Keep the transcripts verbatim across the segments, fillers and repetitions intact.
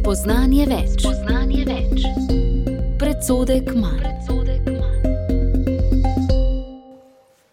Spoznanje več. Spoznanje več. Predsodek manj.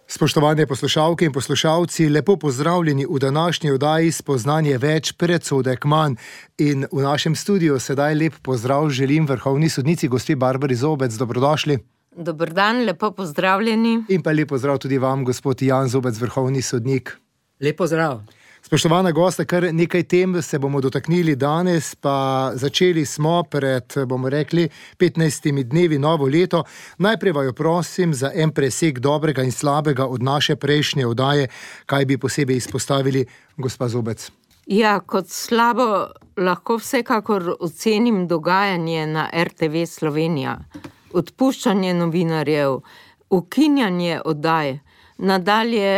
Spoštovane poslušalke in poslušalci, lepo pozdravljeni v današnji oddaji Spoznanje več, predsodek manj. In v našem studiu sedaj lep pozdrav želim vrhovni sodnici gospe Barbari Zobec. Dobrodošli. Dober dan, lepo pozdravljeni. In pa lep pozdrav tudi vam, gospod Jan Zobec, vrhovni sodnik. Lep pozdrav. Spoštovana gosta, kar nekaj tem se bomo dotaknili danes, pa začeli smo pred, bomo rekli, petnajstimi dnevi novo leto. Najprej vaju prosim za en presek dobrega in slabega od naše prejšnje oddaje, kaj bi posebej izpostavili, gospa Zobec. Ja, kot slabo lahko vsekakor ocenim dogajanje na er te ve Slovenija. Odpuščanje novinarjev, ukinjanje oddaj, nadalje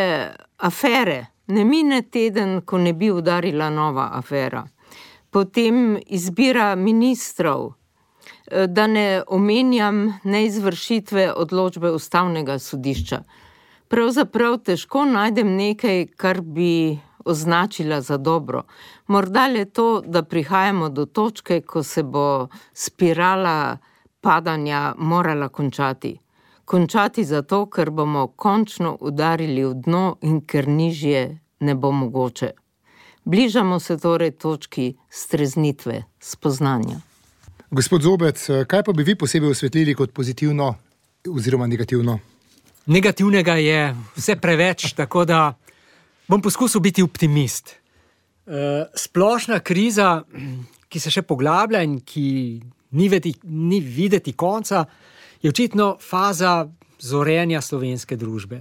afere. Ne mine teden, ko ne bi udarila nova afera. Potem izbira ministrov, da ne omenjam neizvršitve odločbe Ustavnega sodišča. Pravzaprav težko najdem nekaj, kar bi označila za dobro. Morda le to, da prihajamo do točke, ko se bo spirala padanja morala končati. Končati zato, ker bomo končno udarili v dno in ker nižje ne bo mogoče. Bližamo se torej točki streznitve, spoznanja. Gospod Zobec, kaj pa bi vi posebej osvetlili kot pozitivno oziroma negativno? Negativnega je vse preveč, tako da bom poskusil biti optimist. Splošna kriza, ki se še poglablja in ki ni videti, ni videti konca, je očitno faza zorenja slovenske družbe.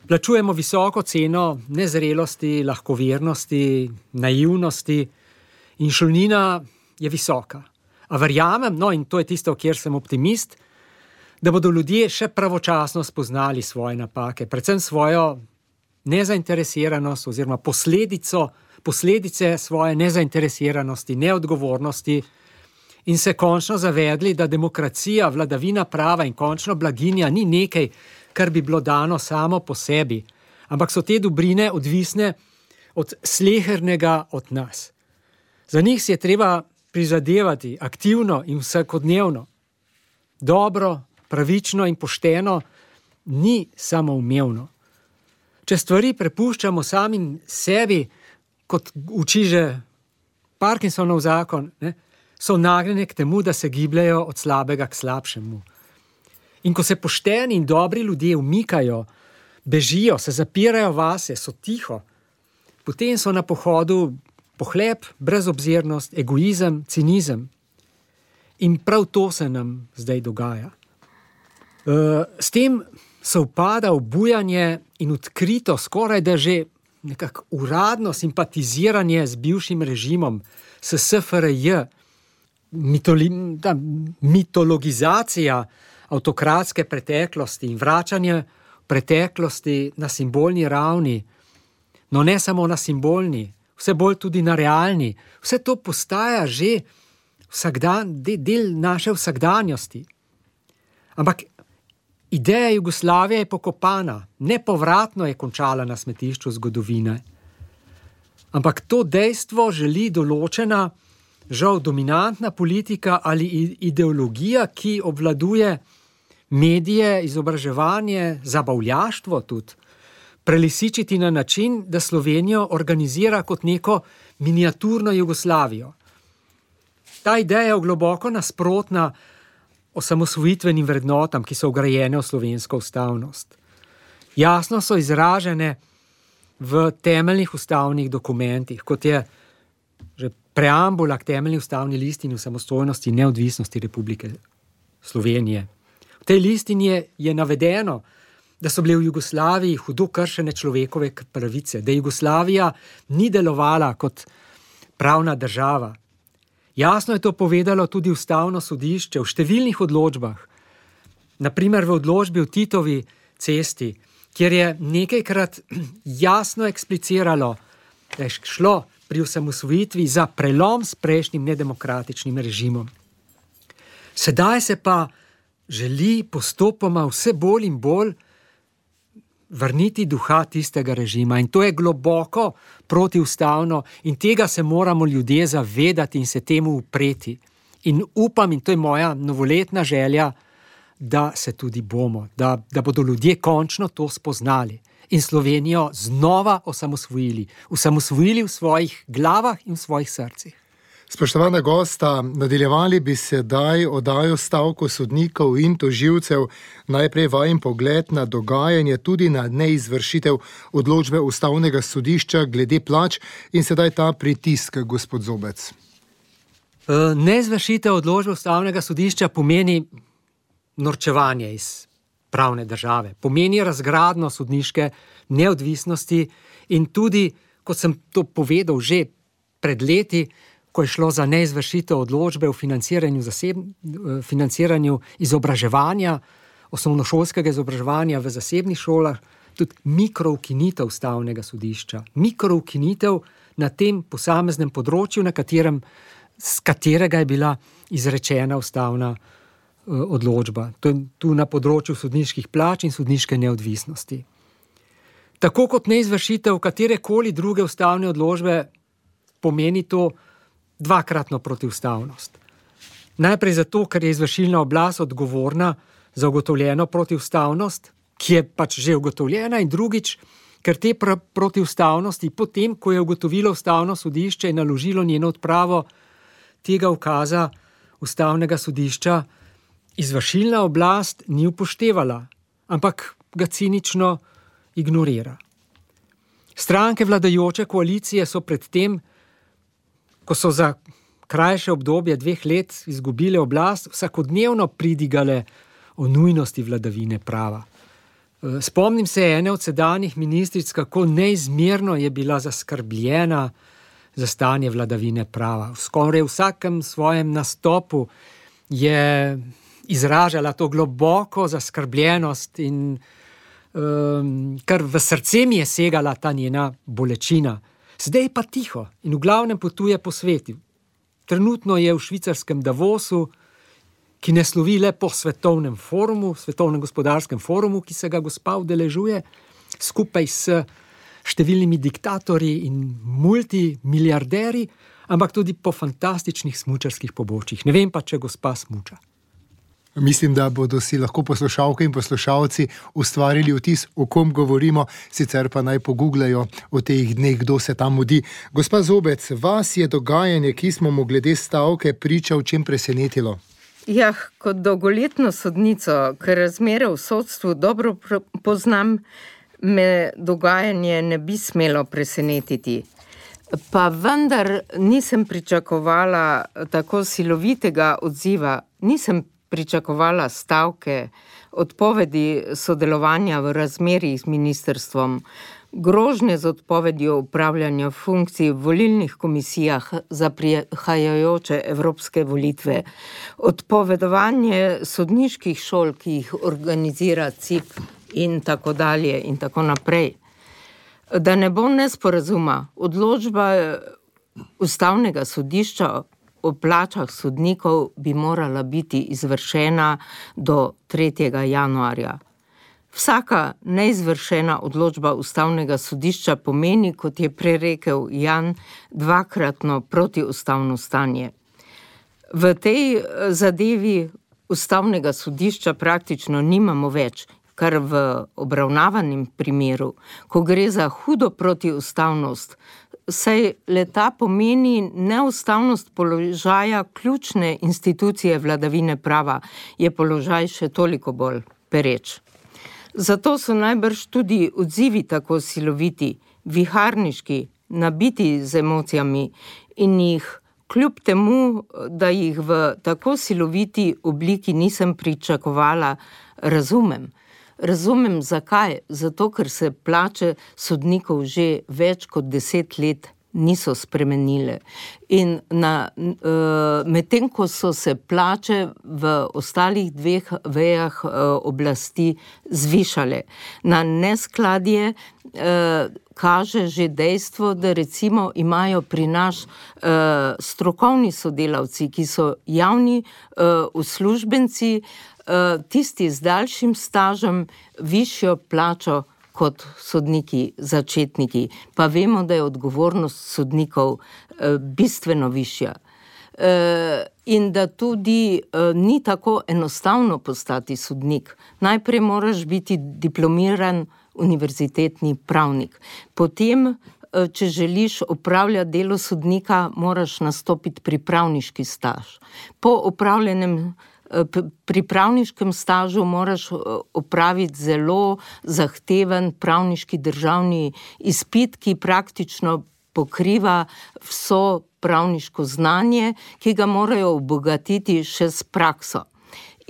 Plačujemo visoko ceno nezrelosti, lahkovernosti, naivnosti in šolnina je visoka. A verjamem, no in to je tisto, kjer sem optimist, da bodo ljudje še pravočasno spoznali svoje napake, predvsem svojo nezainteresiranost oziroma posledico, posledice svoje nezainteresiranosti, neodgovornosti, in se končno zavedli, da demokracija, vladavina prava in končno blaginja ni nekaj, kar bi bilo dano samo po sebi, ampak so te dobrine odvisne od slehernega od nas. Za njih si je treba prizadevati aktivno in vsakodnevno. Dobro, pravično in pošteno ni samoumevno. Če stvari prepuščamo samim sebi, kot uči že Parkinsonov zakon, ne, so nagnjene k temu, da se gibljajo od slabega k slabšemu. In ko se pošteni in dobri ljudje umikajo, bežijo, se zapirajo vase, so tiho, potem so na pohodu pohlep, brezobzirnost, egoizem, cinizem. In prav to se nam zdaj dogaja. S tem sovpada obujanje in odkrito, skoraj da že nekako uradno simpatiziranje z bivšim režimom, s es fe er je, Mitoli, ta, mitologizacija avtokratske preteklosti in vračanje preteklosti na simbolni ravni, no ne samo na simbolni, vse bolj tudi na realni, vse to postaja že vsakdan, del naše vsakdanjosti. Ampak ideja Jugoslavije je pokopana, nepovratno je končala na smetišču zgodovine. Ampak to dejstvo želi določena žal dominantna politika ali ideologija, ki obvladuje medije, izobraževanje, zabavljaštvo tudi, prelisičiti na način, da Slovenijo organizira kot neko miniaturno Jugoslavijo. Ta ideja je globoko nasprotna osamosvojitvenim vrednotam, ki so vgrajene v slovensko ustavnost. Jasno so izražene v temeljnih ustavnih dokumentih, kot je že preambula k temeljni ustavni listini o samostojnosti in neodvisnosti Republike Slovenije. V tej listini je, je navedeno, da so bile v Jugoslaviji hudo kršene človekove pravice, da Jugoslavija ni delovala kot pravna država. Jasno je to povedalo tudi Ustavno sodišče v številnih odločbah. Na primer v odločbi o Titovi cesti, kjer je nekajkrat jasno ekspliciralo, da je šlo pri osamosvojitvi za prelom s prejšnjim nedemokratičnim režimom. Sedaj se pa želi postopoma vse bolj in bolj vrniti duha tistega režima in to je globoko protiustavno in tega se moramo ljudje zavedati in se temu upreti. In upam, in to je moja novoletna želja, da se tudi bomo, da, da bodo ljudje končno to spoznali in Slovenijo znova osamosvojili. Osamosvojili v svojih glavah in v svojih srcih. Spoštovana gosta, nadaljevali bi se daj oddajo stavko sodnikov in tožilcev, najprej vajen pogled na dogajanje, tudi na neizvršitev odločbe Ustavnega sodišča glede plač in sedaj ta pritisk, gospod Zobec. Neizvršitev odločbe Ustavnega sodišča pomeni norčevanje iz pravne države, pomeni razgradnjo sodniške neodvisnosti in tudi, kot sem to povedal že pred leti, ko je šlo za neizvršitev odločbe o financiranju, zaseb, financiranju izobraževanja, osnovnošolskega izobraževanja v zasebnih šolah, tudi mikroukinitev Ustavnega sodišča. Mikroukinitev na tem posameznem področju, na katerem, z katerega je bila izrečena ustavna odločba. To je tu na področju sodniških plač in sodniške neodvisnosti. Tako kot neizvršitev katerekoli druge ustavne odločbe pomeni to dvakratno protiustavnost. Najprej zato, ker je izvršilna oblast odgovorna za ugotovljeno protiustavnost, ki je pač že ugotovljena, in drugič, ker te pr- protiustavnosti, potem, ko je ugotovilo Ustavno sodišče in naložilo njeno odpravo tega ukaza Ustavnega sodišča, izvršilna oblast ni upoštevala, ampak ga cinično ignorira. Stranke vladajoče koalicije so pred tem, ko so za krajše obdobje dveh let izgubile oblast, vsakodnevno pridigale o nujnosti vladavine prava. Spomnim se ene od sedanjih ministric, kako neizmerno je bila zaskrbljena za stanje vladavine prava. Skoraj v vsakem svojem nastopu je izražala to globoko zaskrbljenost in um, kar v srce mi je segala ta njena bolečina. Zdaj pa tiho in v glavnem potuje po svetu. Trenutno je v švicarskem Davosu, ki ne slovi le po svetovnem forumu, svetovnem gospodarskem forumu, ki se ga gospa udeležuje, skupaj s številnimi diktatorji in multimiliarderi, ampak tudi po fantastičnih smučarskih pobočjih. Ne vem pa, če gospa smuča. Mislim, da bodo si lahko poslušalke in poslušalci ustvarili vtis, o kom govorimo, sicer pa naj pogooglajo o teh dneh, kdo se tam mudi. Gospa Zobec, vas je dogajanje, ki smo mu glede stavke priča, v čem presenetilo? Ja, kot dolgoletno sodnico, ker razmere v sodstvu dobro poznam, me dogajanje ne bi smelo presenetiti. Pa vendar nisem pričakovala tako silovitega odziva, nisem pričakovala stavke, odpovedi sodelovanja v razmerjih z ministrstvom, grožnje z odpovedjo upravljanja funkcij v volilnih komisijah za prihajajoče evropske volitve, odpovedovanje sodniških šol, ki jih organizira C I P in tako dalje in tako naprej. Da ne bo nesporazuma, odločba Ustavnega sodišča o plačah sodnikov bi morala biti izvršena do tretjega januarja. Vsaka neizvršena odločba Ustavnega sodišča pomeni, kot je prerekel Jan, dvakratno protiustavno stanje. V tej zadevi Ustavnega sodišča praktično nimamo več, kar v obravnavanem primeru, ko gre za hudo protiustavnost, saj leta pomeni neustavnost položaja ključne institucije vladavine prava, je položaj še toliko bolj pereč. Zato so najbrž tudi odzivi tako siloviti, viharniški, nabiti z emocijami in jih kljub temu, da jih v tako siloviti obliki nisem pričakovala, razumem. Razumem zakaj, zato ker se plače sodnikov že več kot deset let niso spremenile. In na, medtem ko so se plače v ostalih dveh vejah oblasti zvišale. Na neskladje kaže že dejstvo, da recimo imajo pri nas strokovni sodelavci, ki so javni uslužbenci, tisti z daljšim stažem, višjo plačo kot sodniki začetniki, pa vemo, da je odgovornost sodnikov eh, bistveno višja. Eh, in da tudi eh, ni tako enostavno postati sodnik. Najprej moraš biti diplomiran univerzitetni pravnik. Potem, eh, če želiš opravljati delo sodnika, moraš nastopiti pripravniški staž. Po opravljenem Pri pravniškem stažu moraš opraviti zelo zahteven pravniški državni izpit, ki praktično pokriva vso pravniško znanje, ki ga morajo obogatiti še s prakso.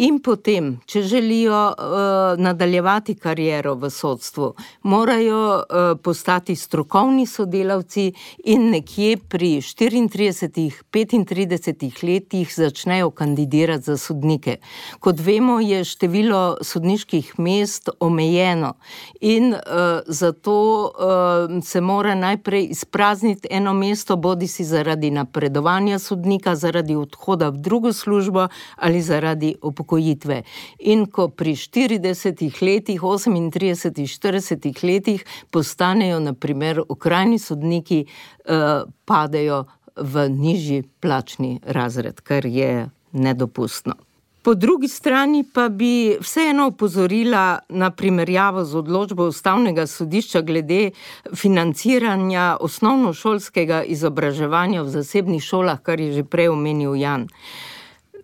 In potem, če želijo uh, nadaljevati kariero v sodstvu, morajo uh, postati strokovni sodelavci in nekje pri štiriintridesetih, petintridesetih letih začnejo kandidirati za sodnike. Kot vemo, je število sodniških mest omejeno in uh, zato uh, se mora najprej izprazniti eno mesto, bodi si zaradi napredovanja sodnika, zaradi odhoda v drugo službo ali zaradi upokojitve. In ko pri štiridesetih letih, osemintridesetih, štiridesetih letih postanejo na primer okrajni sodniki, eh, padejo v nižji plačni razred, kar je nedopustno. Po drugi strani pa bi vseeno opozorila na primerjavo z odločbo Ustavnega sodišča glede financiranja osnovnošolskega izobraževanja v zasebnih šolah, kar je že prej omenil Jan.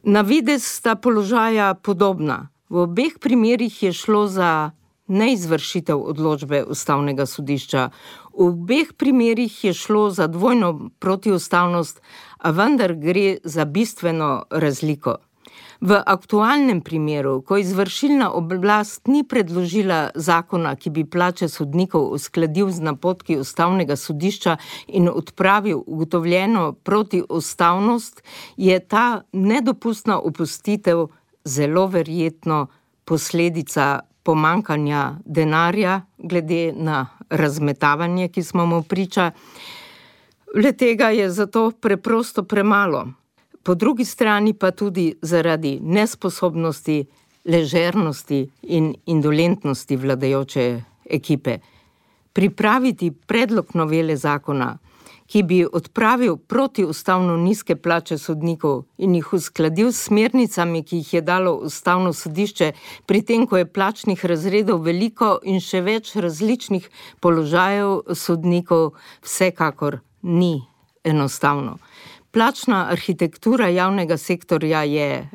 Na videz sta položaja podobna. V obeh primerih je šlo za neizvršitev odločbe Ustavnega sodišča. V obeh primerih je šlo za dvojno protiustavnost, a vendar gre za bistveno razliko. V aktualnem primeru, ko izvršilna oblast ni predložila zakona, ki bi plače sodnikov uskladil z napotki Ustavnega sodišča in odpravil ugotovljeno protiustavnost, je ta nedopustna opustitev zelo verjetno posledica pomankanja denarja glede na razmetavanje, ki smo mu priča. Le tega je zato preprosto premalo. Po drugi strani pa tudi zaradi nesposobnosti, ležernosti in indolentnosti vladajoče ekipe. Pripraviti predlog novele zakona, ki bi odpravil protiustavno nizke plače sodnikov in jih uskladil s smernicami, ki jih je dalo Ustavno sodišče, pri tem, ko je plačnih razredov veliko in še več različnih položajev sodnikov, vsekakor ni enostavno. Plačna arhitektura javnega sektorja je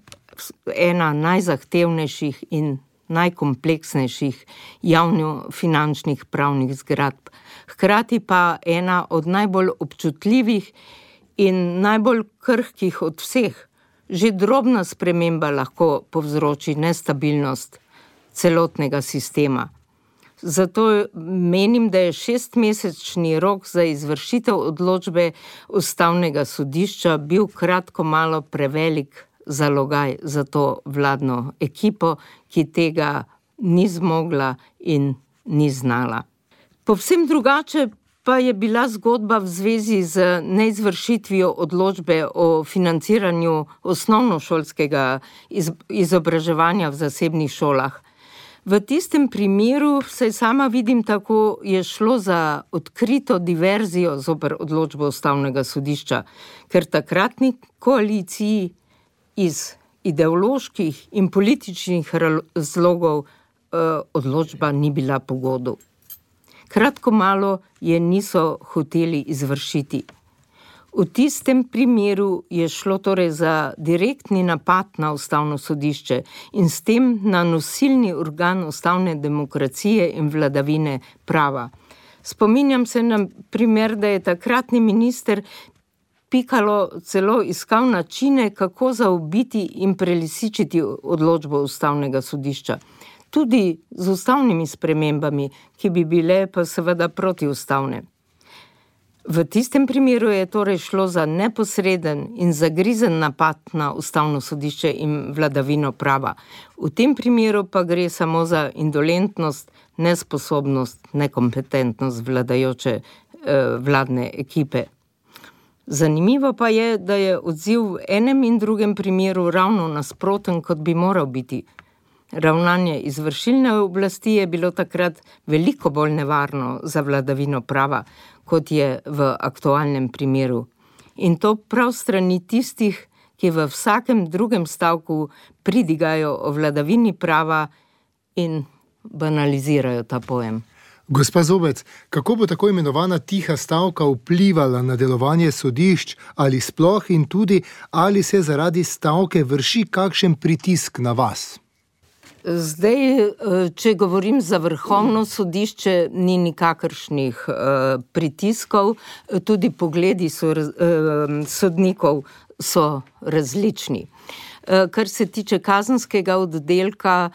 ena najzahtevnejših in najkompleksnejših javno-finančnih pravnih zgradb. Hkrati pa ena od najbolj občutljivih in najbolj krhkih od vseh. Že drobna sprememba lahko povzroči nestabilnost celotnega sistema. Zato menim, da je šestmesečni rok za izvršitev odločbe Ustavnega sodišča bil kratko malo prevelik zalogaj za to vladno ekipo, ki tega ni zmogla in ni znala. Povsem drugače pa je bila zgodba v zvezi z neizvršitvijo odločbe o financiranju osnovnošolskega izobraževanja v zasebnih šolah. V tistem primeru, saj sama vidim tako, je šlo za odkrito diverzijo zoper odločbo Ustavnega sodišča, ker takratni koaliciji iz ideoloških in političnih razlogov eh, odločba ni bila po godu. Kratko malo je niso hoteli izvršiti. V tistem primeru je šlo torej za direktni napad na Ustavno sodišče in s tem na nosilni organ ustavne demokracije in vladavine prava. Spominjam se na primer, da je takratni minister Pikalo celo iskal načine, kako zaobiti in prelisičiti odločbo Ustavnega sodišča. Tudi z ustavnimi spremembami, ki bi bile pa seveda protiustavne. V tistem primeru je torej šlo za neposreden in zagrizen napad na Ustavno sodišče in vladavino prava. V tem primeru pa gre samo za indolentnost, nesposobnost, nekompetentnost vladajoče eh, vladne ekipe. Zanimivo pa je, da je odziv v enem in drugem primeru ravno nasproten, kot bi moral biti. Ravnanje izvršilne oblasti je bilo takrat veliko bolj nevarno za vladavino prava, kot je v aktualnem primeru. In to prav strani tistih, ki v vsakem drugem stavku pridigajo o vladavini prava in banalizirajo ta pojem. Gospa Zobec, kako bo tako imenovana tiha stavka vplivala na delovanje sodišč ali sploh in tudi, ali se zaradi stavke vrši kakšen pritisk na vas? Zdaj, če govorim za Vrhovno sodišče, ni nikakršnih pritiskov, tudi pogledi so, sodnikov so različni. Kar se tiče kazenskega oddelka,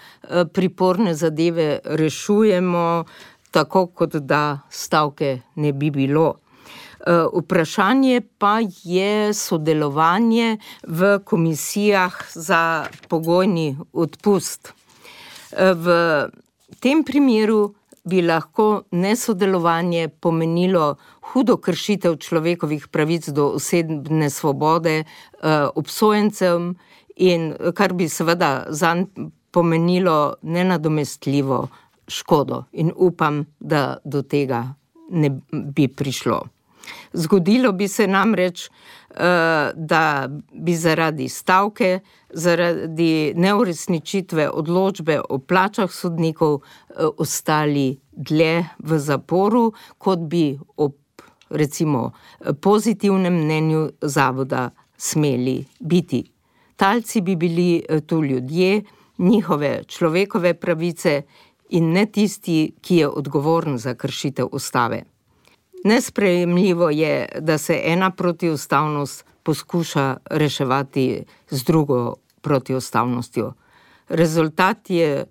priporne zadeve rešujemo tako, kot da stavke ne bi bilo. Vprašanje pa je sodelovanje v komisijah za pogojni odpust. V tem primeru bi lahko nesodelovanje pomenilo hudo kršitev človekovih pravic do osebne svobode obsojencem in kar bi seveda zanj pomenilo nenadomestljivo škodo in upam, da do tega ne bi prišlo. Zgodilo bi se namreč, da bi zaradi stavke, zaradi neuresničitve odločbe o plačah sodnikov ostali dlje v zaporu, kot bi ob recimo pozitivnem mnenju zavoda smeli biti. Talci bi bili tu ljudje, njihove človekove pravice in ne tisti, ki je odgovoren za kršitev ustave. Nesprejemljivo je, da se ena protiustavnost poskuša reševati z drugo protiustavnostjo. Rezultat je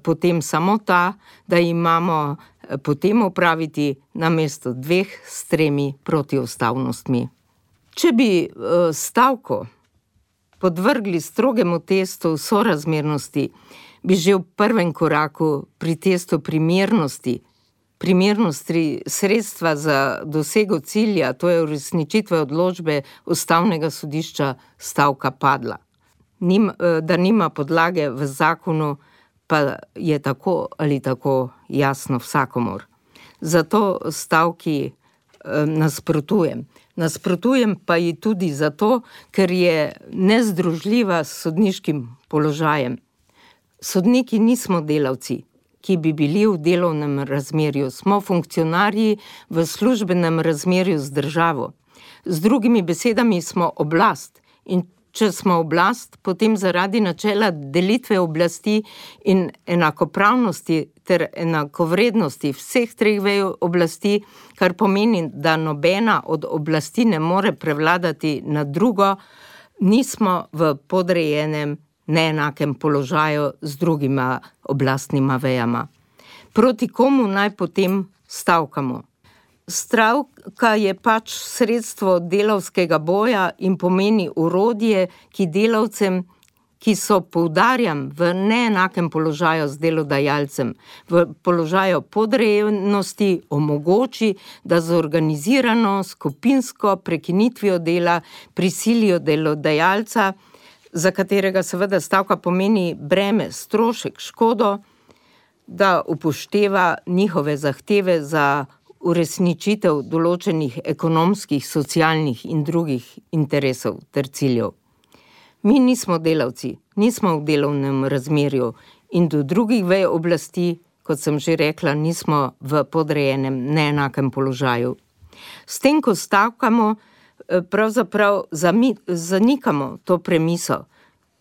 potem samo ta, da imamo potem opraviti namesto dveh s tremi protiustavnostmi. Če bi stavko podvrgli strogemu testu sorazmernosti, bi že v prvem koraku pri testu primernosti primernosti sredstva za dosego cilja, to je uresničitve odločbe Ustavnega sodišča, stavka padla. Nim, da nima podlage v zakonu, pa je tako ali tako jasno vsakomur. Zato stavki eh, nasprotujem. Nasprotujem pa ji tudi zato, ker je nezdružljiva s sodniškim položajem. Sodniki nismo delavci, ki bi bili v delovnem razmerju. Smo funkcionarji v službenem razmerju z državo. Z drugimi besedami smo oblast. In če smo oblast, potem zaradi načela delitve oblasti in enakopravnosti ter enakovrednosti vseh treh vej oblasti, kar pomeni, da nobena od oblasti ne more prevladati nad drugo, nismo v podrejenem neenakem položaju z drugima oblastnima vejama. Proti komu naj potem stavkamo? Stavka je pač sredstvo delavskega boja in pomeni orodje, ki delavcem, ki so, poudarjam, v neenakem položaju z delodajalcem, v položaju podrejenosti omogoči, da z organizirano skupinsko prekinitvijo dela prisilijo delodajalca, za katerega seveda stavka pomeni breme, strošek, škodo, da upošteva njihove zahteve za uresničitev določenih ekonomskih, socialnih in drugih interesov ter ciljev. Mi nismo delavci, nismo v delovnem razmerju in do drugih vej oblasti, kot sem že rekla, nismo v podrejenem neenakem položaju. S tem, ko stavkamo, pravzaprav zanikamo to premiso,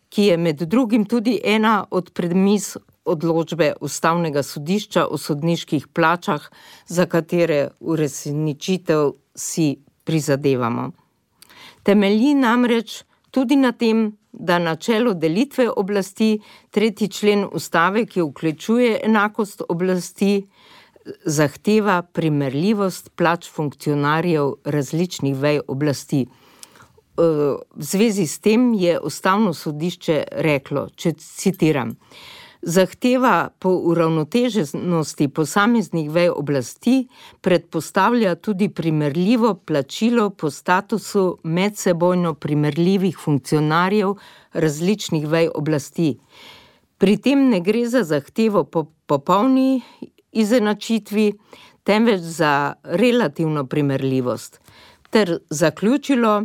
ki je med drugim tudi ena od premis odločbe Ustavnega sodišča o sodniških plačah, za katere uresničitev si prizadevamo. Temelji namreč tudi na tem, da načelo delitve oblasti, tretji člen ustave, ki vključuje enakost oblasti, zahteva primerljivost plač funkcionarjev različnih vej oblasti. V zvezi s tem je Ustavno sodišče reklo, če citiram, zahteva po uravnoteženosti posameznih vej oblasti predpostavlja tudi primerljivo plačilo po statusu medsebojno primerljivih funkcionarjev različnih vej oblasti. Pri tem ne gre za zahtevo po popolni izenačitvi, temveč za relativno primerljivost. Ter zaključilo,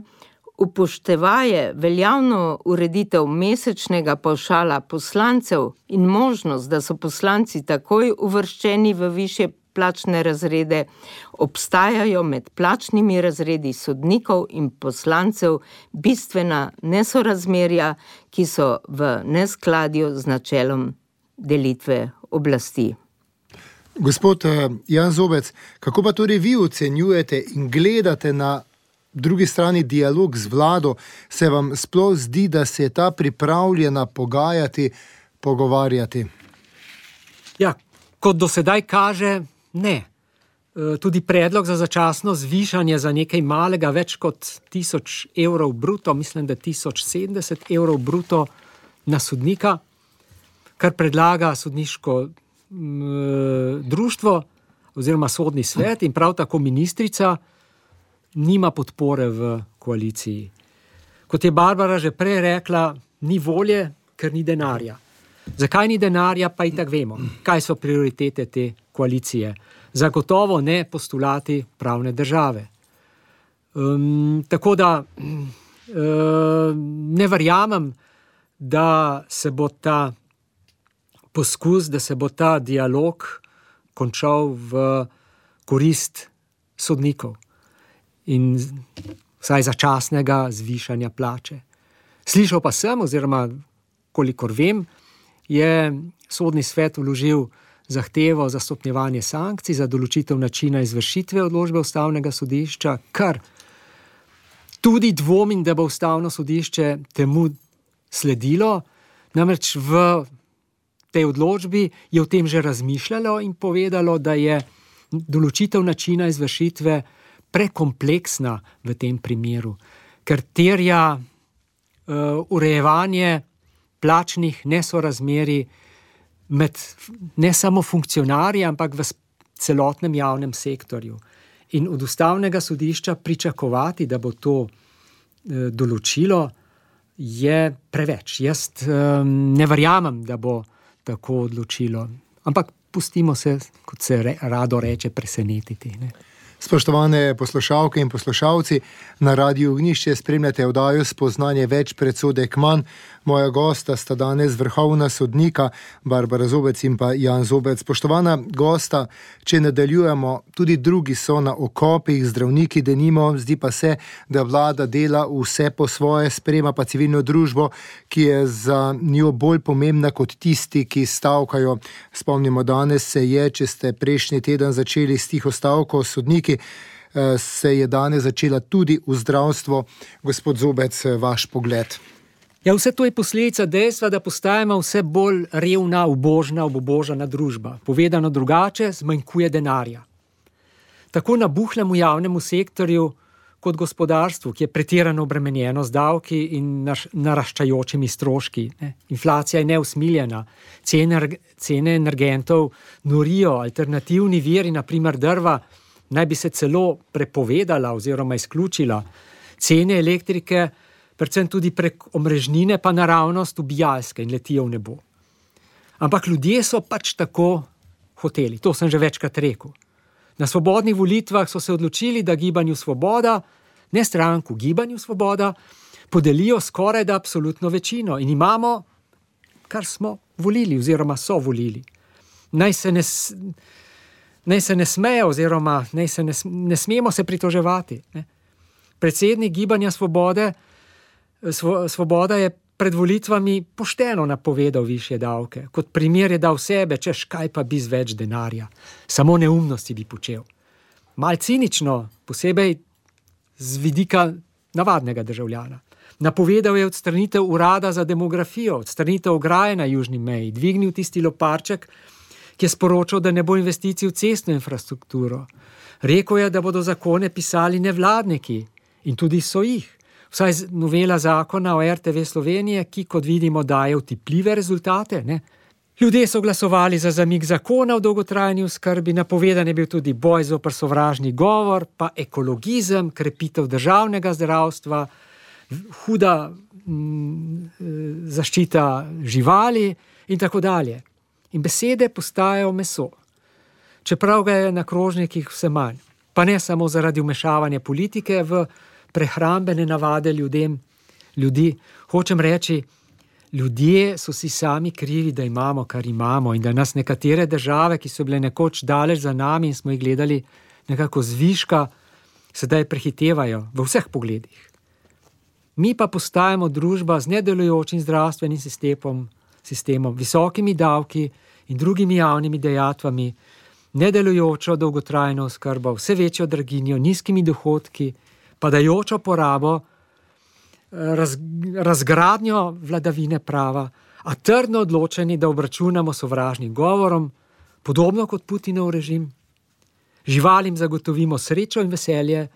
upoštevaje veljavno ureditev mesečnega pavšala poslancev in možnost, da so poslanci takoj uvrščeni v višje plačne razrede, obstajajo med plačnimi razredi sodnikov in poslancev bistvena nesorazmerja, ki so v neskladju z načelom delitve oblasti. Gospod Jan Zobec, kako pa torej vi ocenjujete in gledate na drugi strani dialog z vlado? Se vam sploh zdi, da se je ta pripravljena pogajati, pogovarjati? Ja, kot do sedaj kaže, ne. Tudi predlog za začasno zvišanje za nekaj malega, več kot tisoč evrov bruto, mislim, da tisoč sedemdeset evrov bruto na sodnika, kar predlaga sodniško društvo oziroma sodni svet in prav tako ministrica, nima podpore v koaliciji. Kot je Barbara že prej rekla, ni volje, ker ni denarja. Zakaj ni denarja, pa itak vemo. Kaj so prioritete te koalicije? Zagotovo ne postulati pravne države. Um, tako da um, ne verjamem, da se bo ta poskus, da se bo ta dialog končal v korist sodnikov in vsaj začasnega zvišanja plače. Slišal pa sem, oziroma kolikor vem, je sodni svet vložil zahtevo za stopnjevanje sankcij, za določitev načina izvršitve odločbe ustavnega sodišča, kar tudi dvomim, da bo ustavno sodišče temu sledilo, namreč v tej odločbi je o tem že razmišljalo in povedalo, da je določitev načina izvršitve prekompleksna v tem primeru, ker terja uh, urejevanje plačnih nesorazmerij med ne samo funkcionarji, ampak v celotnem javnem sektorju. In od ustavnega sodišča pričakovati, da bo to uh, določilo, je preveč. Jaz um, ne verjamem, da bo tako odločilo. Ampak pustimo se, kot se re, rado reče, presenetiti. Ne? Spoštovane poslušalke in poslušalci, na Radiu Ognjišče spremljate oddajo Spoznanje več, predsodek manj. Moja gosta sta danes vrhovna sodnika, Barbara Zobec in pa Jan Zobec. Spoštovana gosta, če nadaljujemo, tudi drugi so na okopih, zdravniki denimo, zdi pa se, da vlada dela vse po svoje, sprema pa civilno družbo, ki je za njo bolj pomembna kot tisti, ki stavkajo. Spomnimo, danes se je, če ste prejšnji teden začeli s tiho stavko sodniki, se je danes začela tudi v zdravstvo. Gospod Zobec, vaš pogled. Ja, vse to je posledica dejstva, da postajamo vse bolj revna, ubožna, obubožana družba. Povedano drugače, zmanjkuje denarja. Tako nabuhlemu javnemu sektorju kot gospodarstvu, ki je pretirano obremenjeno z davki in naraščajočimi stroški. Ne? Inflacija je neusmiljena, cene, cene energentov norijo, alternativni viri, na primer drva, naj bi se celo prepovedala oziroma izključila. Cene elektrike, predvsem tudi prek omrežnine, pa naravnost ubijalske in letijo v nebo. Ampak ljudje so pač tako hoteli, to sem že večkrat rekel. Na svobodnih volitvah so se odločili, da Gibanju Svoboda, ne stranku, Gibanju Svoboda, podelijo skoraj da absolutno večino in imamo, kar smo volili oziroma so volili. Naj se ne, naj se ne smejo oziroma naj se ne, ne smemo se pritoževati. Ne? Predsednik Gibanja Svobode Svoboda je pred volitvami pošteno napovedal višje davke. Kot primer je dal sebe, češ kaj pa bi z več denarja. Samo neumnosti bi počel. Mal cinično, posebej z vidika navadnega državljana. Napovedal je odstranitev urada za demografijo, odstranitev ograje na južni meji, dvignil tisti loparček, ki je sporočal, da ne bo investicij v cestno infrastrukturo. Rekel je, da bodo zakone pisali nevladniki in tudi so jih. Vsaj novela zakona o R T V Slovenije, ki, kot vidimo, daje vtipljive rezultate. Ne? Ljudje so glasovali za zamik zakona o dolgotrajni oskrbi, napovedan je bil tudi boj zoper sovražni govor, pa ekologizem, krepitev državnega zdravstva, huda m, zaščita živali in tako dalje. In besede postajajo meso. Čeprav ga je na krožnikih vse manj. Pa ne samo zaradi vmešavanja politike v prehrambene navade ljudem, ljudi. Hočem reči, ljudje so si sami krivi, da imamo, kar imamo in da nas nekatere države, ki so bile nekoč daleč za nami in smo jih gledali nekako zviška, sedaj prehitevajo v vseh pogledih. Mi pa postajamo družba z nedelujočim zdravstvenim sistemom, sistemom, visokimi davki in drugimi javnimi dejatvami, nedelujočo dolgotrajno oskrbo, vse večjo draginjo, nizkimi dohodki, padajočo porabo, raz, razgradnjo vladavine prava, a trdno odločeni, da obračunamo sovražnim govorom, podobno kot Putinov režim. Živalim zagotovimo srečo in veselje,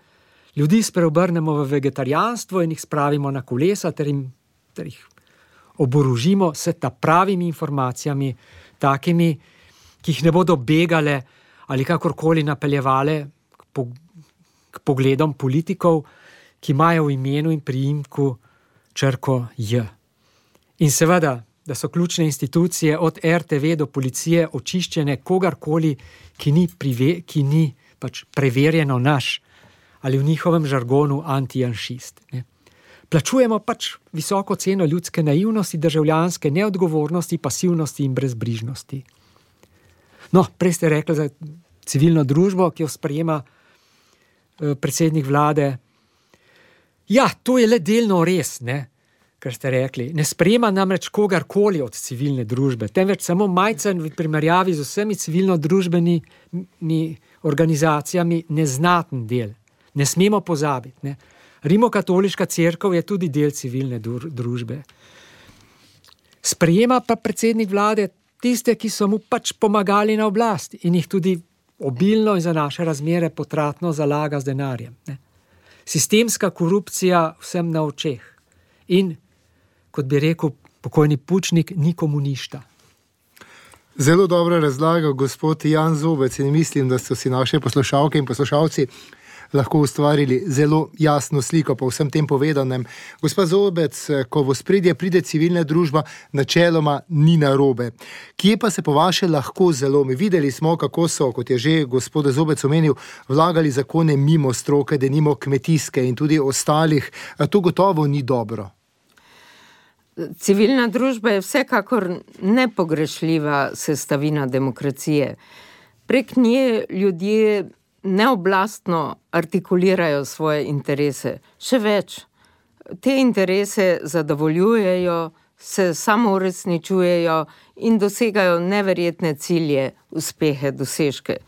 ljudi spreobrnemo v vegetarijanstvo in jih spravimo na kolesa ter, jim, ter jih oborožimo s ta pravimi informacijami, takimi, ki jih ne bodo begale ali kakorkoli napeljevale k, po, k pogledom politikov, ki imajo v imenu in priimku črko J. In seveda, da so ključne institucije od er te ve do policije očiščene kogarkoli, ki ni, prive, ki ni pač preverjeno naš ali v njihovem žargonu antijanšist. Ne. Plačujemo pač visoko ceno ljudske naivnosti, državljanske neodgovornosti, pasivnosti in brezbrižnosti. No, prej ste rekli za civilno družbo, ki jo sprejema eh, predsednik vlade. Ja, to je le delno res, ne, kar ste rekli. Ne sprejema namreč kogarkoli od civilne družbe, temveč samo majcen v primerjavi z vsemi civilno-družbenimi organizacijami neznaten del. Ne smemo pozabiti. Ne. Rimokatoliška cerkev je tudi del civilne družbe. Sprejema pa predsednik vlade tiste, ki so mu pač pomagali na oblast in jih tudi obilno in za naše razmere potratno zalaga z denarjem. Ne. Sistemska korupcija vsem na očeh. In, kot bi rekel pokojni Pučnik, ni komunista. Zelo dobro razlaga gospod Jan Zobec in mislim, da so si naše poslušalke in poslušalci lahko ustvarili zelo jasno sliko po vsem tem povedanem. Gospod Zobec, ko v ospredje pride civilna družba, načeloma ni narobe. Kje pa se po vaše lahko zalomi? Videli smo, kako so, kot je že gospod Zobec omenil, vlagali zakone mimo stroke, denimo kmetijske in tudi ostalih. To gotovo ni dobro. Civilna družba je vsekakor nepogrešljiva sestavina demokracije. Prek nje ljudje neoblastno artikulirajo svoje interese. Še več, te interese zadovoljujejo, se samouresničujejo in dosegajo neverjetne cilje, uspehe, dosežke.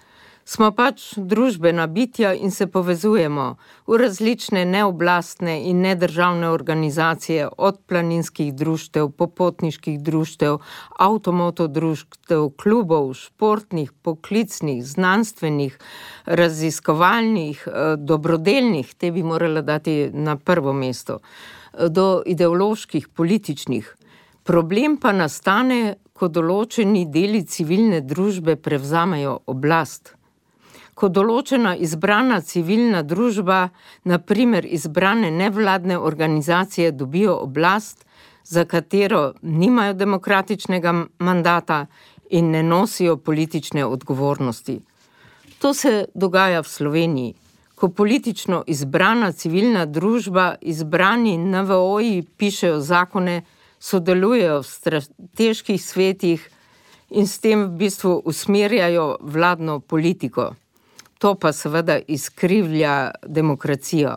Smo pač družbena bitja in se povezujemo v različne neoblastne in nedržavne organizacije, od planinskih društev, popotniških društev, avtomoto društev, klubov, športnih, poklicnih, znanstvenih, raziskovalnih, dobrodelnih, te bi morala dati na prvo mesto, do ideoloških, političnih. Problem pa nastane, ko določeni deli civilne družbe prevzamejo oblast. Ko določena izbrana civilna družba, na primer izbrane nevladne organizacije, dobijo oblast, za katero nimajo demokratičnega mandata in ne nosijo politične odgovornosti. To se dogaja v Sloveniji, ko politično izbrana civilna družba, izbrani en ve o-ji pišejo zakone, sodelujejo v strateških svetih in s tem v bistvu usmerjajo vladno politiko. To pa seveda izkrivlja demokracijo.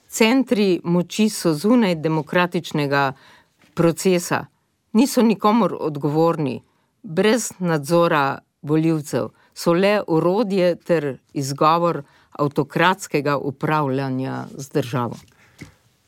Centri moči so zunaj demokratičnega procesa, niso nikomur odgovorni, brez nadzora volivcev, so le orodje ter izgovor avtokratskega upravljanja z državo.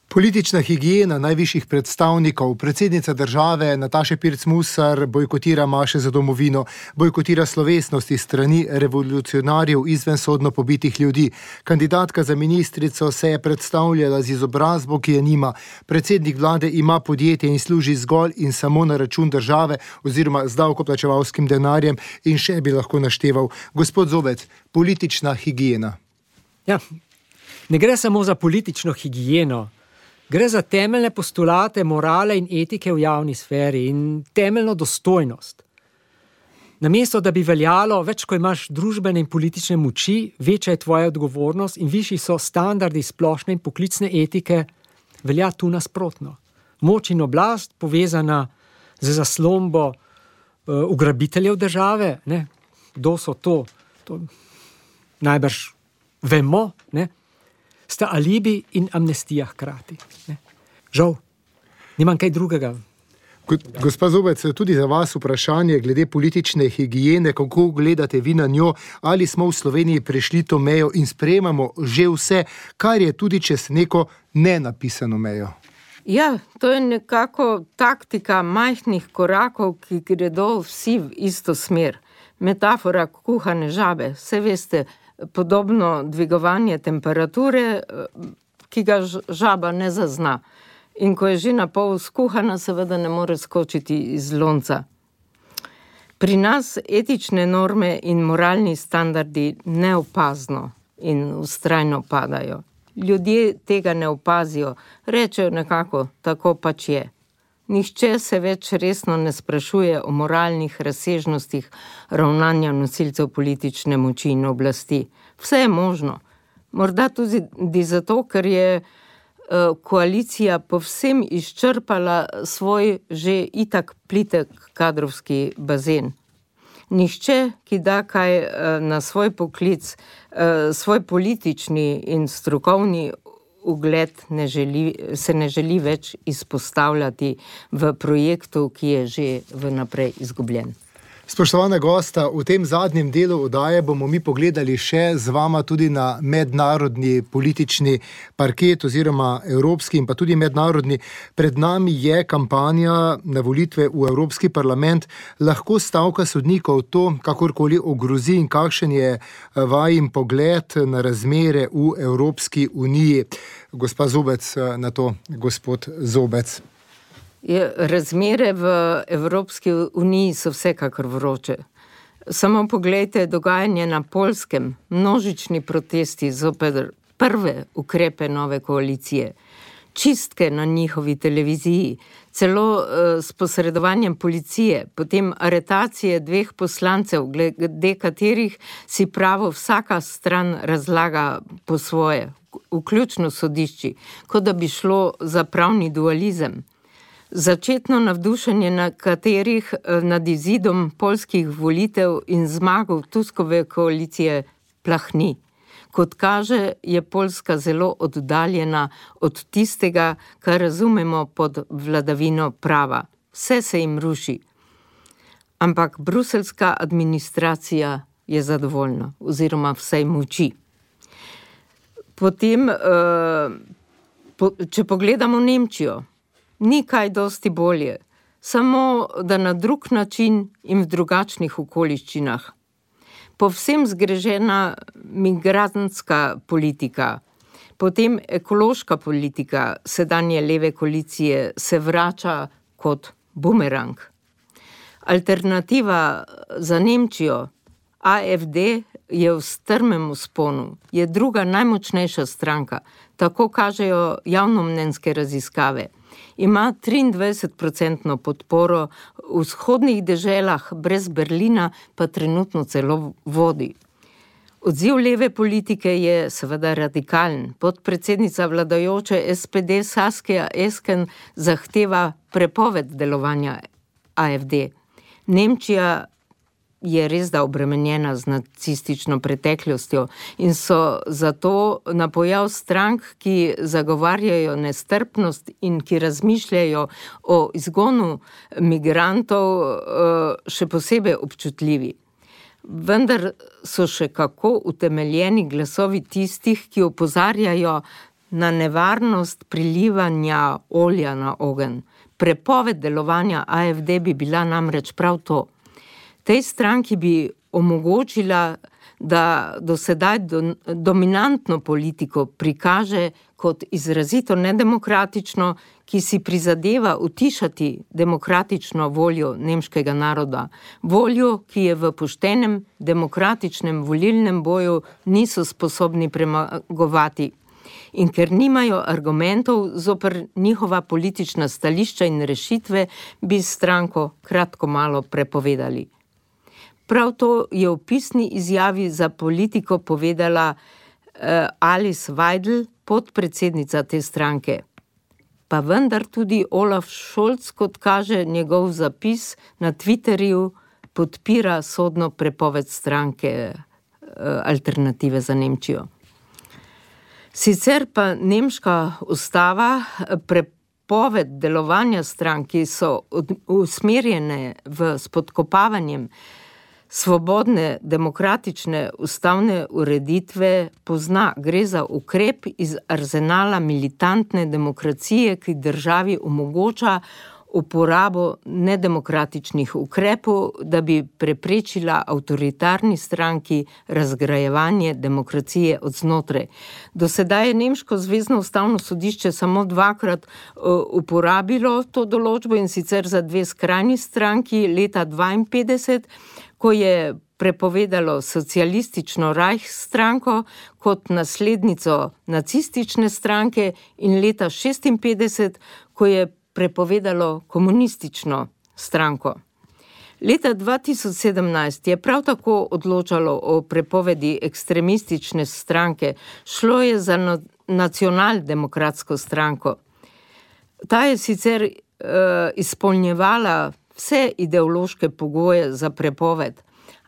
Politična higiena najvišjih predstavnikov, predsednica države Nataša Pirc Musar bojkotira maše za domovino, bojkotira slovesnosti strani revolucionarjev izvensodno pobitih ljudi. Kandidatka za ministrico se je predstavljala z izobrazbo, ki je nima. Predsednik vlade ima podjetje in služi zgolj in samo na račun države oziroma z davkoplačevalskim denarjem in še bi lahko našteval. Gospod Zobec, politična higiena. Ja, ne gre samo za politično higieno. Gre za temeljne postulate morale in etike v javni sferi in temeljno dostojnost. Namesto, da bi veljalo, več ko imaš družbene in politične moči, večja je tvoja odgovornost in višji so standardi splošne in poklicne etike, velja tu nasprotno. Moč in oblast povezana z zaslombo uh, ugrabiteljev države, ne? Kdo so to? To najbrž vemo, ne? Sta alibi in amnestija hkrati. Ne? Žal, nimam kaj drugega. Gospa Zobec, tudi za vas vprašanje glede politične higiene, kako gledate vi na njo, ali smo v Sloveniji prešli to mejo in sprejemamo že vse, kar je tudi čez neko nenapisano mejo? Ja, to je nekako taktika majhnih korakov, ki gredo vsi v isto smer. Metafora kuhane žabe, vse veste, podobno dvigovanje temperature, ki ga žaba ne zazna. In ko je že na pol skuhana, seveda ne more skočiti iz lonca. Pri nas etične norme in moralni standardi neopazno in vztrajno padajo. Ljudje tega ne opazijo, rečejo nekako, tako pač je. Nihče se več resno ne sprašuje o moralnih razsežnostih ravnanja nosilcev politične moči in oblasti. Vse je možno. Morda tudi zato, ker je koalicija povsem izčrpala svoj že itak plitek kadrovski bazen. Nihče, ki da kaj na svoj poklic, svoj politični in strokovni ugled ne želi, se ne želi več izpostavljati v projektu, ki je že vnaprej izgubljen. Spoštovana gosta, v tem zadnjem delu oddaje bomo mi pogledali še z vama tudi na mednarodni politični parket oziroma evropski in pa tudi mednarodni. Pred nami je kampanja na volitve v Evropski parlament. Lahko stavka sodnikov to kakorkoli ogrozi in kakšen je vajin pogled na razmere v Evropski uniji? Gospa Zobec, na to gospod Zobec. Je, razmere v Evropski uniji so vsekakor vroče. Samo poglejte dogajanje na Poljskem, množični protesti zoper prve ukrepe nove koalicije, čistke na njihovi televiziji, celo uh, s posredovanjem policije, potem aretacije dveh poslancev, glede katerih si pravo vsaka stran razlaga po svoje, vključno sodišči, kot da bi šlo za pravni dualizem. Začetno navdušenje na katerih nad izidom poljskih volitev in zmago Tuskove koalicije plahni. Kot kaže, je Poljska zelo oddaljena od tistega, kar razumemo pod vladavino prava. Vse se jim ruši. Ampak bruselska administracija je zadovoljna, oziroma vsej moči. Potem, če pogledamo Nemčijo, ni kaj dosti bolje, samo da na drug način in v drugačnih okoliščinah. Povsem zgrežena migrantska politika, potem ekološka politika sedanje leve koalicije se vrača kot bumerang. Alternativa za Nemčijo, A F D, je v strmem vzponu, je druga najmočnejša stranka, tako kažejo javnomnenjske raziskave. Ima triindvajset procentno podporo, v vzhodnih deželah brez Berlina pa trenutno celo vodi. Odziv leve politike je seveda radikalen. Podpredsednica vladajoče S P D Saskia Esken zahteva prepoved delovanja A F D. Nemčija je res da obremenjena z nacistično preteklostjo in so zato na pojav strank, ki zagovarjajo nestrpnost in ki razmišljajo o izgonu migrantov, še posebej občutljivi. Vendar so še kako utemeljeni glasovi tistih, ki opozarjajo na nevarnost prilivanja olja na ogenj. Prepoved delovanja A F D bi bila namreč prav to. Tej stranki bi omogočila, da do sedaj do, dominantno politiko prikaže kot izrazito nedemokratično, ki si prizadeva utišati demokratično voljo nemškega naroda. Voljo, ki je v poštenem demokratičnem volilnem boju niso sposobni premagovati. in ker nimajo argumentov zoper njihova politična stališča in rešitve, bi stranko kratko malo prepovedali. Prav to je v pisni izjavi za Politiko povedala uh, Alice Weidel, podpredsednica te stranke. Pa vendar tudi Olaf Scholz, kot kaže njegov zapis na Twitterju, podpira sodno prepoved stranke uh, Alternative za Nemčijo. Sicer pa nemška ustava prepoved delovanja strank, ki so usmerjene v spodkopavanjem svobodne, demokratične ustavne ureditve, pozna. Gre za ukrep iz arzenala militantne demokracije, ki državi omogoča uporabo nedemokratičnih ukrepov, da bi preprečila avtoritarni stranki razgrajevanje demokracije od znotraj. Do sedaj je nemško zvezno ustavno sodišče samo dvakrat uh, uporabilo to določbo, in sicer za dve skrajni stranki leta dvainpetdeset, ko je prepovedalo socialistično Reich stranko kot naslednico nacistične stranke, in leta šestinpetdeset, ko je prepovedalo komunistično stranko. Leta dva tisoč sedemnajst je prav tako odločalo o prepovedi ekstremistične stranke. Šlo je za no- nacionaldemokratsko stranko. Ta je sicer uh, izpolnjevala vse ideološke pogoje za prepoved,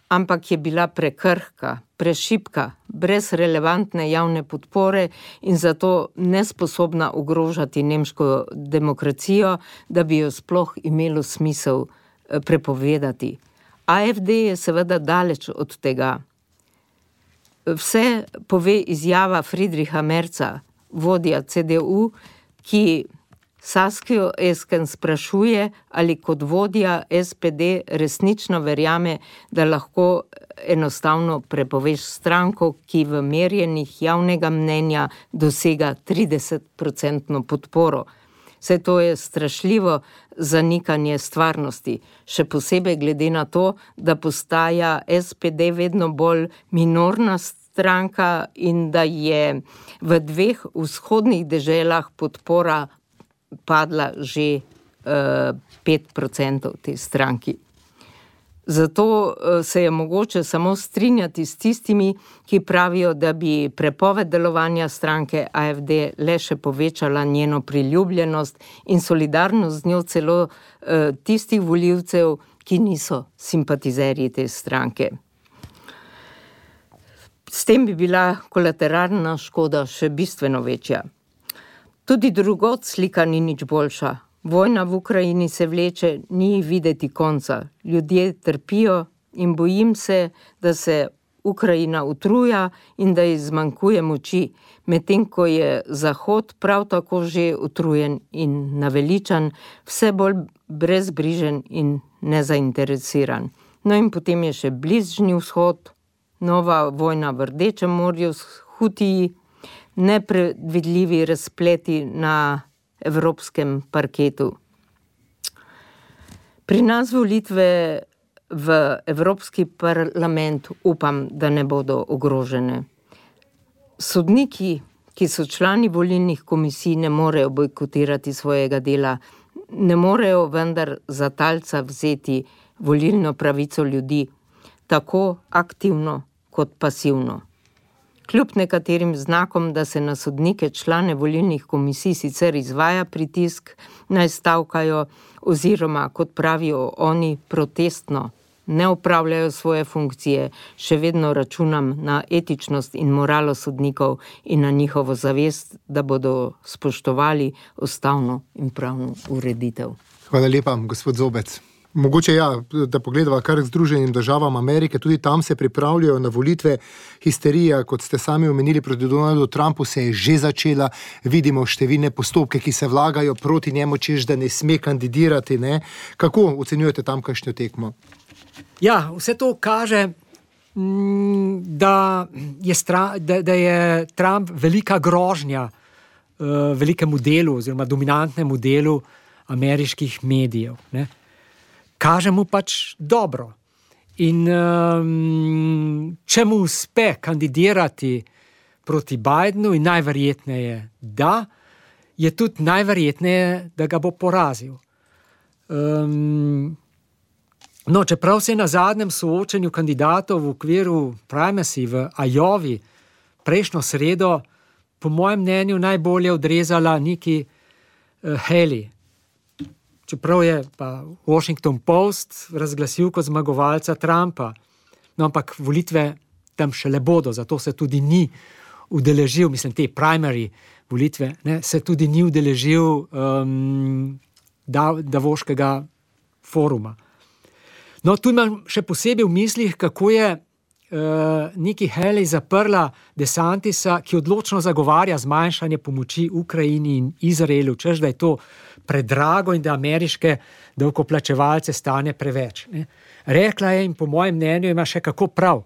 ampak je bila prekrhka, prešibka, brez relevantne javne podpore in zato nesposobna ogrožati nemško demokracijo, da bi jo sploh imelo smisel prepovedati. A F D je seveda daleč od tega. Vse pove izjava Friedricha Merza, vodja C D U, ki Saskijo Esken sprašuje, ali kot vodja S P D resnično verjame, da lahko enostavno prepoveš stranko, ki v merjenjih javnega mnenja dosega tridesetprocentno podporo. Vse to je strašljivo zanikanje stvarnosti, še posebej glede na to, da postaja S P D vedno bolj minorna stranka in da je v dveh vzhodnih deželah podpora padla že uh, pet procentov te stranki. Zato uh, se je mogoče samo strinjati s tistimi, ki pravijo, da bi prepoved delovanja stranke A F D le še povečala njeno priljubljenost in solidarnost z njo celo uh, tistih volivcev, ki niso simpatizerji te stranke. S tem bi bila kolateralna škoda še bistveno večja. Tudi drugod slika ni nič boljša. Vojna v Ukrajini se vleče, ni videti konca. Ljudje trpijo in bojim se, da se Ukrajina utruja in da ji zmanjkuje moči, medtem ko je Zahod prav tako že utrujen in naveličan, vse bolj brezbrižen in nezainteresiran. No in potem je še Bližnji vzhod, nova vojna v Rdečem morju s Hutiji, nepredvidljivi razpleti na evropskem parketu. Pri nas volitve v Evropski parlament upam, da ne bodo ogrožene. Sodniki, ki so člani volilnih komisij, ne morejo bojkotirati svojega dela, ne morejo vendar za talca vzeti volilno pravico ljudi, tako aktivno kot pasivno. Kljub nekaterim znakom, da se na sodnike, člane volilnih komisij sicer izvaja pritisk, naj stavkajo oziroma, kot pravijo oni, protestno ne opravljajo svoje funkcije, še vedno računam na etičnost in moralo sodnikov in na njihovo zavest, da bodo spoštovali ustavno in pravno ureditev. Hvala lepa, gospod Zobec. Mogoče ja, da pogledava kar k Združenim državam Amerike, tudi tam se pripravljajo na volitve. Histerija, kot ste sami omenili, proti Donaldu Trumpu se je že začela. Vidimo številne postopke, ki se vlagajo proti njemu, češ da ne sme kandidirati. Ne? Kako ocenjujete tamkajšnjo tekmo? Ja, vse to kaže, da je, stra, da, da je Trump velika grožnja uh, velikemu delu oziroma dominantnemu delu ameriških medijev, ne? Kaže mu pač dobro. In um, če mu uspe kandidirati proti Bidenu in najverjetneje, da je tudi najverjetneje, da ga bo porazil. Um, no, čeprav se je na zadnjem soočenju kandidatov v okviru primacy v Iowi prejšnjo sredo, po mojem mnenju, najbolje odrezala Nikki uh, Haley. Čeprav je pa Washington Post razglasil kot zmagovalca Trumpa. No, ampak volitve tam šele bodo, zato se tudi ni udeležil, mislim, te primary volitve, ne, se tudi ni udeležil um, Davoškega foruma. No, tu imam še posebej v mislih, kako je uh, Nikki Haley zaprla DeSantisa, ki odločno zagovarja zmanjšanje pomoči Ukrajini in Izraelu, češ, da je to predrago in da ameriške davkoplačevalce stane preveč. Ne. Rekla je in po mojem mnenju ima še kako prav.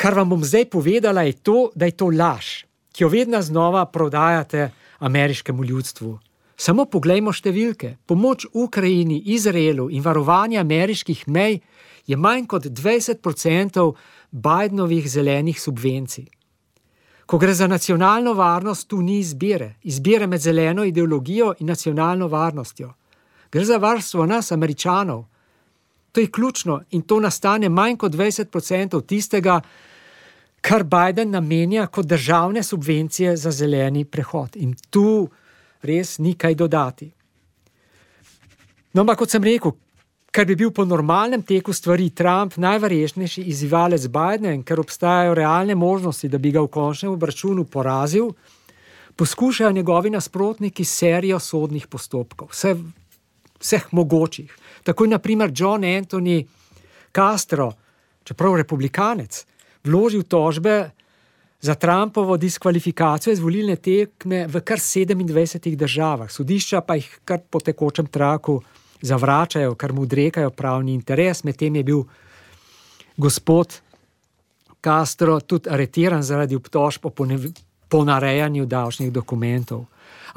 Kar vam bom zdaj povedala je to, da je to laž, ki jo vedno znova prodajate ameriškemu ljudstvu. Samo poglejmo številke. Pomoč Ukrajini, Izraelu in varovanje ameriških mej je manj kot dvajset procentov Bidenovih zelenih subvencij. Ko gre za nacionalno varnost, tu ni izbire. Izbire med zeleno ideologijo in nacionalno varnostjo. Gre za varstvo nas, Američanov. To je ključno in to nastane manj kot dvajset procentov tistega, kar Biden namenja kot državne subvencije za zeleni prehod. In tu res ni kaj dodati. No, ampak kot sem rekel, ker bi bil po normalnem teku stvari Trump najverjetnejši izzivalec Bidena in ker obstajajo realne možnosti, da bi ga v končnem obračunu porazil, poskušajo njegovi nasprotniki serijo sodnih postopkov, vse, vseh mogočih. Tako je na primer John Anthony Castro, čeprav republikanec, vložil tožbe za Trumpovo diskvalifikacijo iz volilne tekme v kar sedemindvajsetih državah. Sodišča pa jih kar po tekočem traku zavračajo, kar mu odrekajo pravni interes. Medtem je bil gospod Castro tudi aretiran zaradi obtožb o ponarejanju davčnih dokumentov.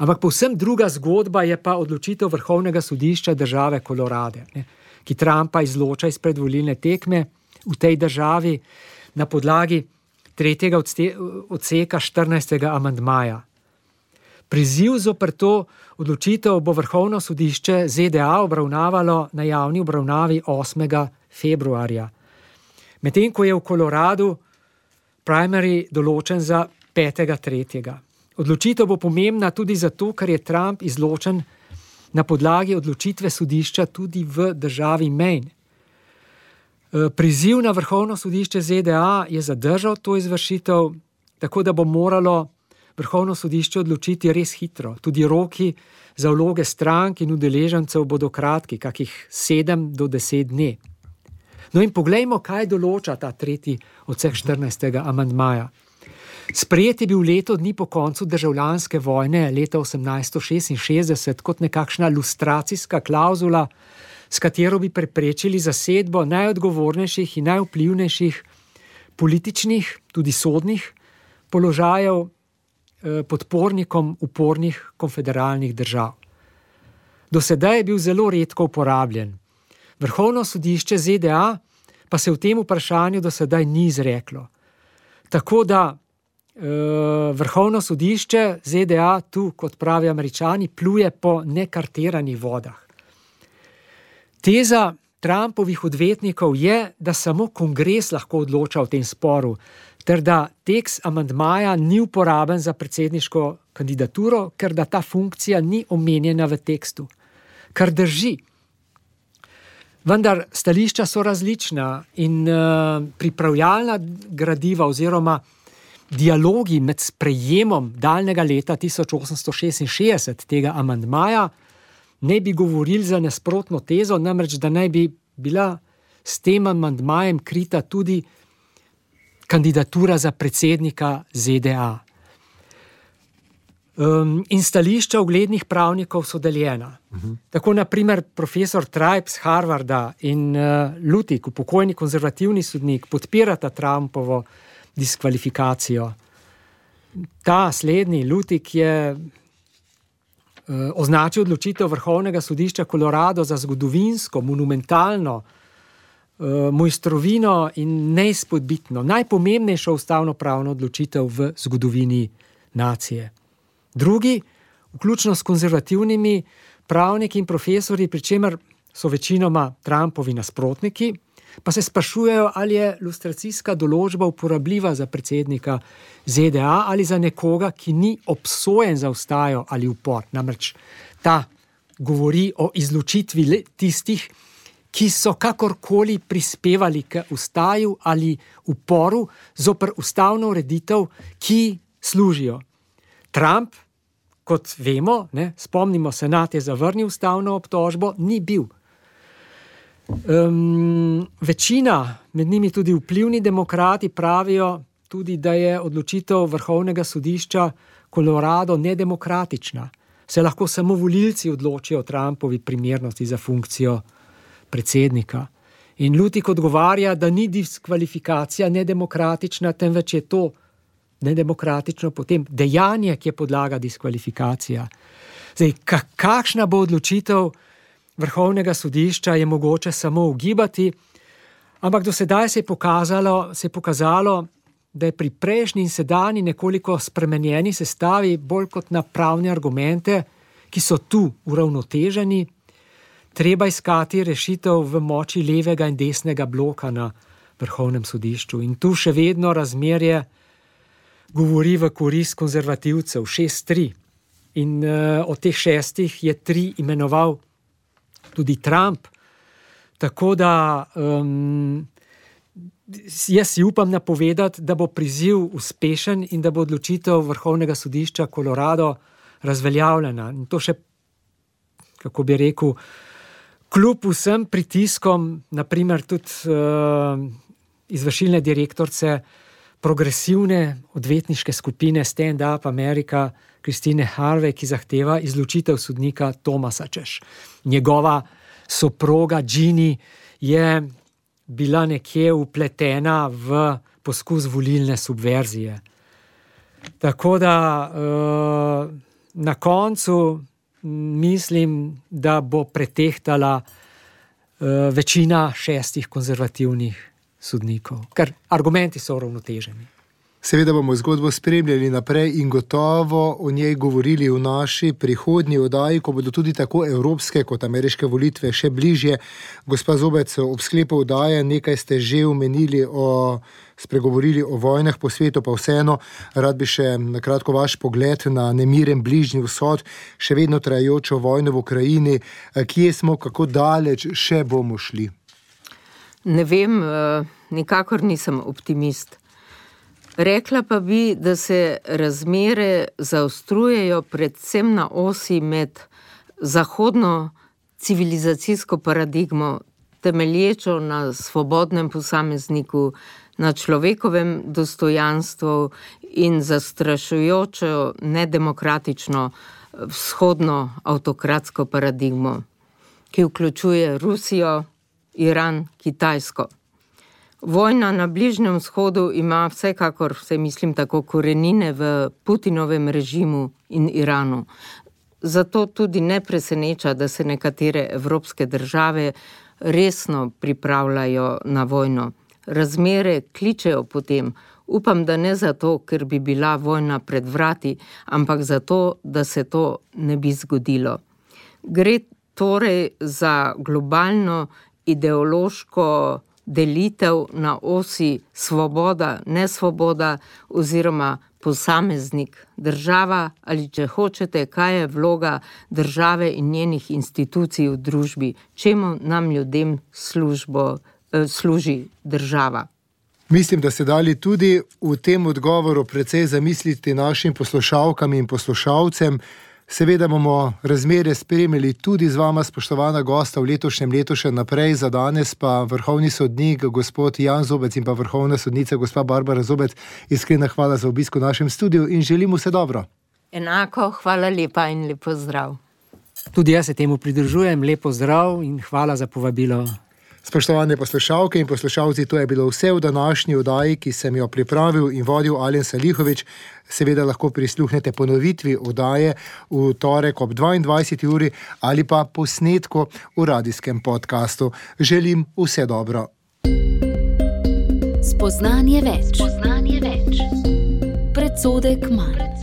Ampak povsem druga zgodba je pa odločitev Vrhovnega sodišča države Colorado, ne, ki Trumpa izloča iz predvolilne tekme v tej državi na podlagi tretjega odseka štirinajstega amandmaja. Priziv zoper to odločitev bo Vrhovno sodišče Z D A obravnavalo na javni obravnavi osmega februarja. Medtem ko je v Koloradu primary določen za petega tretjega. Odločitev bo pomembna tudi zato, ker je Trump izločen na podlagi odločitve sodišča tudi v državi Maine. Priziv na Vrhovno sodišče Z D A je zadržal to izvršitev, tako da bo moralo Vrhovno sodišče odločiti res hitro. Tudi roki za vloge strank in udeležencev bodo kratki, kakih sedem do deset dni. No in poglejmo, kaj določa ta tretji odsek štirinajstega amandmaja. Sprejet je bil leto dni po koncu državljanske vojne leta osemnajststo šestinšestdeset kot nekakšna lustracijska klavzula, s katero bi preprečili zasedbo najodgovornejših in najvplivnejših političnih, tudi sodnih položajev eh, podpornikom upornih konfederalnih držav. Do sedaj je bil zelo redko uporabljen. Vrhovno sodišče Z D A pa se v tem vprašanju do sedaj ni izreklo. Tako da eh, Vrhovno sodišče Z D A tu, kot pravi Američani, pluje po nekarteranih vodah. Teza Trumpovih odvetnikov je, da samo kongres lahko odloča o tem sporu, ter da tekst amandmaja ni uporaben za predsedniško kandidaturo, ker da ta funkcija ni omenjena v tekstu. Kar drži. Vendar stališča so različna in uh, pripravljalna gradiva oziroma dialogi med sprejemom daljnega leta tisoč osemsto šestinšestdeset tega amandmaja ne bi govorili za nasprotno tezo, namreč da naj bi bila s tem amandmajem krita tudi kandidatura za predsednika Z D A. Um, in stališča uglednih pravnikov so deljena. Uh-huh. Tako na primer profesor Tribe z Harvarda in uh, Lutik, upokojeni konzervativni sodnik, podpirata Trumpovo diskvalifikacijo. Ta slednji, Lutik, je označil odločitev Vrhovnega sodišča Colorado za zgodovinsko, monumentalno mojstrovino in neizpodbitno, najpomembnejšo ustavno-pravno odločitev v zgodovini nacije. Drugi, vključno s konzervativnimi pravniki in profesori, pri čemer so večinoma Trumpovi nasprotniki, pa se sprašujejo, ali je lustracijska določba uporabljiva za predsednika Z D A ali za nekoga, ki ni obsojen za vstajo ali upor. Namreč ta govori o izločitvi tistih, ki so kakorkoli prispevali k vstaju ali uporu zoper ustavno ureditev, ki služijo. Trump, kot vemo, ne, spomnimo, senat je zavrnil ustavno obtožbo, ni bil. Um, večina, med njimi tudi vplivni demokrati, pravijo tudi, da je odločitev Vrhovnega sodišča Colorado nedemokratična. Se lahko samo volilci odločijo o Trumpovi primernosti za funkcijo predsednika. In Lutik odgovarja, da ni diskvalifikacija nedemokratična, temveč je to nedemokratično potem dejanje, ki je podlaga diskvalifikacija. Zdaj, kakšna bo odločitev Vrhovnega sodišča, je mogoče samo ugibati, ampak do sedaj se je pokazalo, se je pokazalo, da je pri prejšnji in sedanji nekoliko spremenjeni sestavi bolj kot na pravne argumente, ki so tu uravnoteženi, treba iskati rešitev v moči levega in desnega bloka na Vrhovnem sodišču. In tu še vedno razmerje govori v korist konzervativcev, šest tri. In uh, od teh šestih je tri imenoval tudi Trump. Tako da um, jaz si upam napovedati, da bo priziv uspešen in da bo odločitev Vrhovnega sodišča Colorado razveljavljena. In to še, kako bi rekel, kljub vsem pritiskom, naprimer tudi uh, izvršilne direktorice progresivne odvetniške skupine Stand Up America, Christine Harvey, ki zahteva izločitev sodnika Thomasa, češ. Njegova soproga Ginny je bila nekje vpletena v poskus volilne subverzije. Tako da uh, na koncu mislim, da bo pretehtala uh, večina šestih konzervativnih sodnikov, ker argumenti so uravnoteženi. Seveda bomo zgodbo spremljali naprej in gotovo o njej govorili v naši prihodnji oddaji, ko bodo tudi tako evropske kot ameriške volitve še bližje. Gospa Zobec, ob sklepu oddaje nekaj ste že omenili o, spregovorili o vojnah po svetu, pa vseeno rad bi še na kratko vaš pogled na nemiren bližnji vzhod, še vedno trajajočo vojno v Ukrajini. Kje smo, kako daleč še bomo šli? Ne vem, nikakor nisem optimist. Rekla pa bi, da se razmere zaostrujejo predvsem na osi med zahodno civilizacijsko paradigmo, temelječo na svobodnem posamezniku, na človekovem dostojanstvu in zastrašujočo nedemokratično vzhodno avtokratsko paradigmo, ki vključuje Rusijo, Iran, Kitajsko. Vojna na Bližnjem vzhodu ima vsekakor, vse mislim tako, korenine v Putinovem režimu in Iranu. Zato tudi ne preseneča, da se nekatere evropske države resno pripravljajo na vojno. Razmere kličejo potem. Upam, da ne zato, ker bi bila vojna pred vrati, ampak zato, da se to ne bi zgodilo. Gre torej za globalno ideološko delitev na osi svoboda, nesvoboda oziroma posameznik, država ali, če hočete, kaj je vloga države in njenih institucij v družbi, čemu nam ljudem službo, eh, služi država. Mislim, da ste dali tudi v tem odgovoru precej zamisliti našim poslušalkam in poslušalcem. Seveda bomo razmere spremljali tudi z vama, spoštovana gosta, v letošnjem letu še naprej. Za danes pa vrhovni sodnik gospod Jan Zobec in pa vrhovna sodnica gospa Barbara Zobec, iskrena hvala za obisk v našem studiu in želim vse dobro. Enako, hvala lepa in lepo zdrav. Tudi jaz se temu pridružujem, lepo zdrav in hvala za povabilo. Spoštovane poslušalke in poslušalci, to je bilo vse v današnji oddaji, ki sem jo pripravil in vodil Alen Salihovič. Seveda lahko prisluhnete ponovitvi oddaje v torek ob dvaindvajseti uri ali pa posnetku v radijskem podkastu. Želim vse dobro. Spoznanje več. Spoznanje več. Predsodek manj.